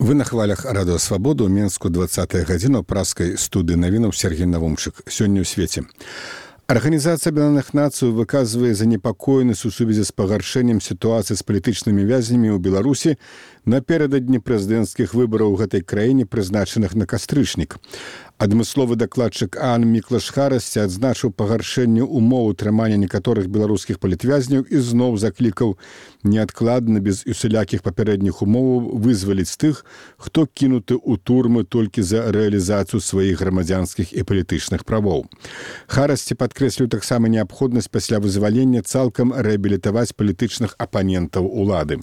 Вы на хвалях радыё Свабода ў Менску 20 гадзіна ў праскай студыі навінаў Сергей Навумчык. Сёння ў свеце. Арганізацыя Аб'яднаных Нацый выказвае занепакоенасць у сувязі з пагаршэннем сітуацыі з палітычнымі вязнямі ў Беларусі напярэдадні прэзідэнцкіх выбараў у гэтай краіне, прызначаных на кастрычнік. Адмысловы дакладчык ААН Міклаш Харасці адзначыў пагаршэнне ўмоў утрымання некаторых беларускіх палітвязняў і зноў заклікаў неадкладна, без усялякіх папярэдніх умоваў вызваліць тых, хто кінуты ў турмы толькі за рэалізацыю сваіх грамадзянскіх і палітычных правоў. Харасці падкрэсліў таксама неабходнасць пасля вызвалення цалкам рэабілітаваць палітычных апанентаў улады.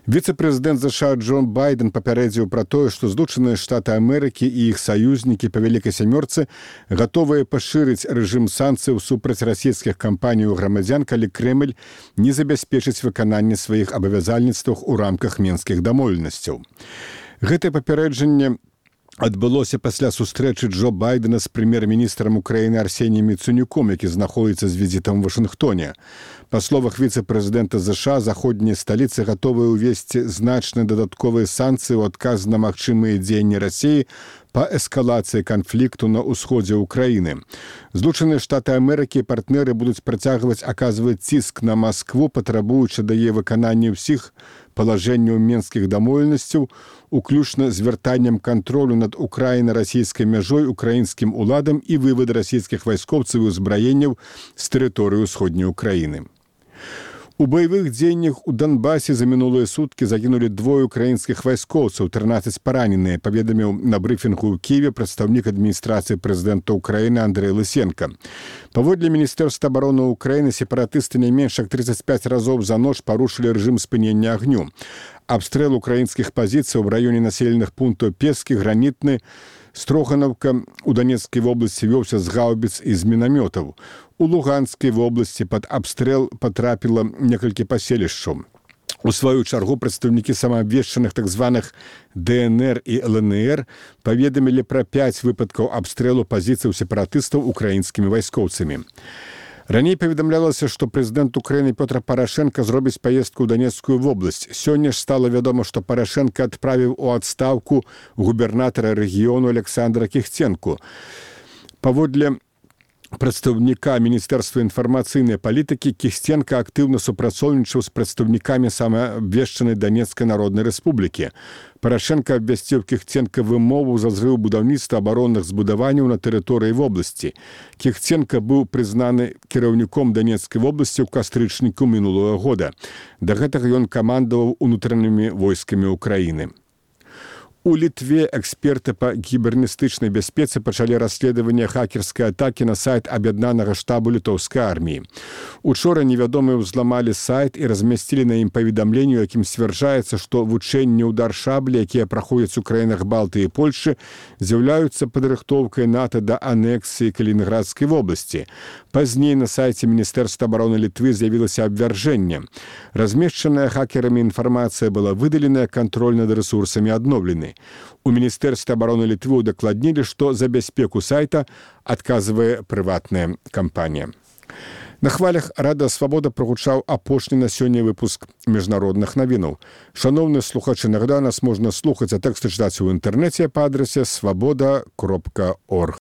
Віцэ-прэзідэнт США Джон Байден папярэдзіў пра тое, што Злучаныя Штаты Амерыкі і іх саюзнікі па Вялікай сямёрцы гатовыя пашырыць рэжым санкцыяў супраць расійскіх кампаній у грамадзян, калі Крэмль не забяспечыць выкананне сваіх абавязальніцтваў у рамках менскіх дамоўленасцяў. Гэтае папярэджанне адбылося пасля сустрэчы Джо Байдена з прэм'ер-міністрам Украіны Арсеніем Яценюком, які знаходзіцца з візітам у Вашынгтоне. Па словах віцэ-прэзідэнта США, заходнія сталіцы гатовыя ўвесці значныя дадатковыя санкцыі ў адказ на магчымыя дзеянні Расіі па эскалацыі канфлікту на ўсходзе ўкраіны. Злучаныя Штаты Амерыкі і партнеры будуць працягваць аказваць ціск на Маскву, патрабуючы да яе выканання ўсіх палажэнняў менскіх дамоўленасцяў, уключна з вяртаннем кантролю над украіна-расійскай мяжой украінскім уладам і вывад расійскіх вайскоўцаў і ўзбраенняў з тэрыторыі ўсходняй Украіны. У баявых дзеяннях у Донбасе за мінулыя суткі загінулі 2 украінскіх вайскоўцаў, 13 параненыя, паведаміў на брыфінгу ў Кіеве прадстаўнік адміністрацыі прэзідэнта Украіны Андрэй Лысенка. Паводле Міністэрства абароны Украіны, сепаратысты не менш як 35 разоў за ноч парушылі рэжым спынення агню. Абстрэл украінскіх пазіцый у раёне населеных пунктаў Пескі, Гранітны, Строганаўка у Донецкай вобласці вёўся з гаўбіц і з мінамётаў. У Луганскай вобласці пад абстрэл патрапіла некалькі паселішчаў. У сваю чаргу прадстаўнікі самаабвешчаных так званых ДНР і ЛНР паведамілі пра 5 выпадкаў абстрэлу пазіцыяў сепаратыстаў украінскімі вайскоўцамі. Раней паведамлялася, што прэзідэнт Украіны Пётр Парашенка зробіць паездку ў Донецкую вобласць. Сёння ж стала вядома, што Парашенка адправіў у адстаўку губернатара рэгіёну Александра Кіхценку. Паводле прадстаўніка Міністэрства інфармацыйнай палітыкі, Кіхценка актыўна супрацоўнічаў з прадстаўнікамі самаабвешчанай Донецкай Народнай Рэспублікі. Парашенка абвясціў Кіхценка вымову за зрыў будаўніцтва абаронных збудаванняў на тэрыторыі вобласці. Кіхценка быў прызнаны кіраўніком Донецкай вобласці ў кастрычніку мінулага года. Да гэтага ён камандаваў унутранымі войскамі Украіны. У Літве эксперты па кібернетычнай бяспецы пачалі расследаванне хакерскай атакі на сайт аб'яднанага штабу літоўскай арміі. Учора невядомыя ўзламалі сайт і размясцілі на ім паведамленне, у якім сцвярджаецца, што вучэнні ўдар шаблі, якія праходзяць у краінах Балтыі і Польшы, з'яўляюцца падрыхтоўкай НАТО да анексіі Калінінградскай вобласці. Пазней на сайце Міністэрства абароны Літвы з'явілася абвяржэнне. Размешчаная хакерамі інфармацыя была выдаленая, кантроль над рэсурсамі адноўлены. У Міністэрстве абароны Літвы удакладнілі, што за бяспеку сайта адказвае прыватная кампанія. На хвалях радыё Свабода прагучаў апошні на сёння выпуск міжнародных навінаў. Шаноўныя слухачы, нагадаю, нас можна слухаць, а тэксты чытаць у інтэрнэце па адрасе swaboda.org.